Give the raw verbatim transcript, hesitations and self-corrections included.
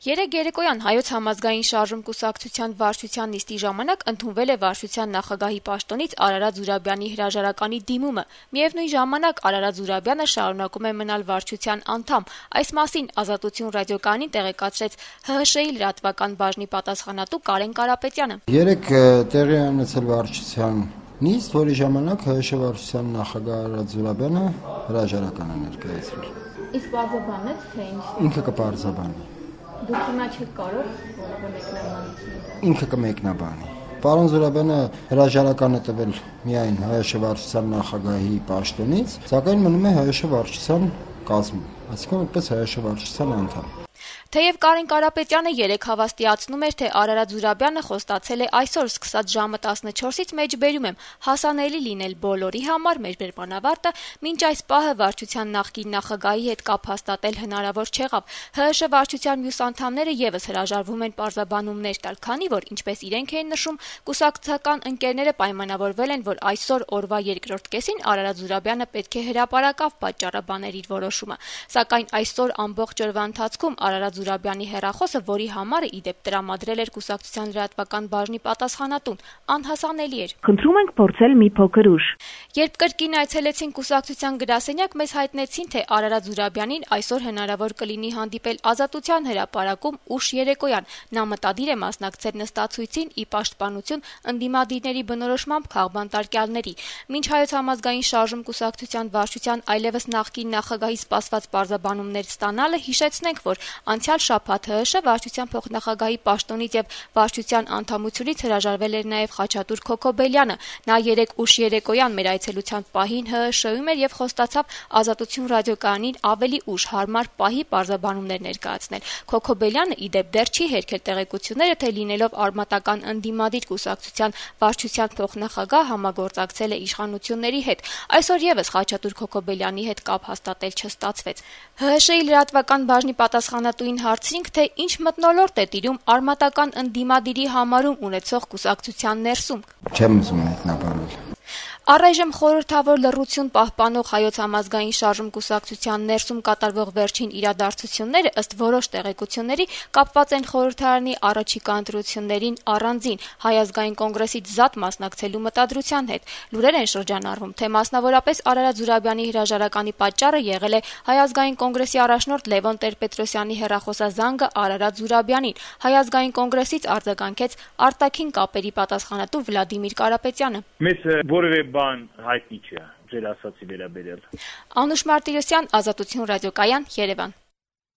Երեկ երեկոյան Հայոց համազգային շարժում կուսակցության վարչության նիստի ժամանակ ընդունվել է վարչության նախագահի պաշտոնից Արարատ Զուրաբյանի հրաժարականի դիմումը։ Միևնույն ժամանակ Արարատ Զուրաբյանը շարունակում է մնալ վարչության անդամ։ Այս մասին Ազատություն ռադիոկայանին տեղեկացրեց ՀՀՇ-ի լրատվական բաժնի պատասխանատու Կարեն Կարապետյանը։ Երեկ տեղի է ունեցել վարչության նիստ, որի ժամանակ ՀՀՇ վարչության նախագահ Արարատ Զուրաբյանը հրաժարական է ներկայացրել։ Իսկ բարձաբանեց, թե ինչ։ Ինքը կբարձաբանի։ Դուք հիմա չեք կարող որևէ մեկնաբանություն։ Ինքը կմեկնաբանի։ Պարոն Զուրաբյանը հրաժարական է տվել միայն ՀՀՇ վարչության նախագահի պաշտոնից, սակայն մնում է ՀՀՇ վարչության կազմում, այսինքն որպես ՀՀՇ վարչության անդամ։ Թեև Կարեն Կարապետյանը երեկ հավաստիացնում էր, թե Արարատ Զուրաբյանը խոստացել է այսօր սկսած ժամը տասնչորսից մեջբերում եմ հասանելի լինել բոլորի համար, մեր բերմանավարտը մինչ այս պահը վարչության նախկին նախագահի հետ կապ հաստատել հնարավոր չեղավ։ ՀՀՇ վարչության մյուս անդամները եւս հրաժարվում են պարզաբանումներ տալ, քանի որ, ինչպես իրենք էին նշում, կուսակցական ընկերները պայմանավորվել են, որ այսօր օրվա երկրորդ կեսին Արարատ Զուրաբյանը պետք է հրապարակավ պատճառաբաներ իր որոշումը։ Սակայն այսօր ամբողջ օրվա ընթացքում Արարատ Զուրաբյանի հեռախոսը, որի համար ի դեպ տրամադրել էր կուսակցության լրատվական բաժնի պատասխանատուն, անհասանելի էր։ Խնդրում ենք փորձել մի փոքր ուշ։ Երբ կրկին այցելեցին կուսակցության գրասենյակ, մեզ հայտնեցին, թե Արարատ Զուրաբյանին այսօր հնարավոր կլինի հանդիպել Ազատության հրապարակում ուշ երեկոյան։ Նա մտադիր է մասնակցել նստացույցին ի պաշտպանություն ընդդիմադիրների բնորոշմամբ քաղբանտարկյալների։ Մինչ Հայոց համազգային շարժում կուսակցության վարչության այլևս նախկին նախագահի սպասված պարզաբանումներ ստանալը, հիշեցնենք, որ անցյալ շաբաթ ՀՀՇ վարչության փոխնախագահի պաշտոնից եւ վարչության անդամությունից հրաժարվել էր նաեւ Խաչատուր Քոքոբելյանը։ Նա երեկ ուշ երեկոյան մեր այցելության պահին ՀՀՇ-ում էր եւ խոստացավ Ազատություն ռադիոկայանին ավելի ուշ հարմար պահի պարզաբանումներ ներկայացնել։ Քոքոբելյանը ի դեպ դեռ չի հերքել տեղեկությունները, թե լինելով արմատական ընդդիմադիր կուսակցության վարչության փոխնախագահ համագործակցել է իշխանությունների հետ։ Այսօր եւս Խաչատուր Քոքոբելյանի հետ կապ հաստատել չստացվեց։ ՀՀՇ-ի լրատվական բաժնի պատասխանատուին հարցրինք, թե ինչ մթնոլորտ է տիրում արմատական ընդդիմադիրի համարում ունեցող կուսակցության ներսում։ Չեմ ուզում մեկնաբանել։ Առայժմ խորհրդավոր լռություն պահպանող Հայոց համազգային շարժում կուսակցության ներսում կատարվող վերջին իրադարձությունները ըստ որոշ տեղեկությունների կապված են խորհրդարանի առաջիկա ընտրություններին առանձին Հայ ազգային կոնգրեսից զատ մասնակցելու մտադրության հետ։ Լուրեր են շրջանառվում, թե մասնավորապես Արարատ Զուրաբյանի հրաժարականի պատճառը եղել է Հայ ազգային կոնգրեսի առաջնորդ Լևոն Տեր-Պետրոսյանի հեռախոսազանգը Արարատ Զուրաբյանին։ Հայ ազգային կոնգրեսից արձագանքեց արտաքին կապերի պատասխանատու Վլադիմիր Կարապետյանը։ Մեզ որևէ բան հայտնի չէ ձեր ասացի վերաբերյալ։ Անուշ Մարտիրոսյան, Ազատություն ռադիոկայան, Երևան։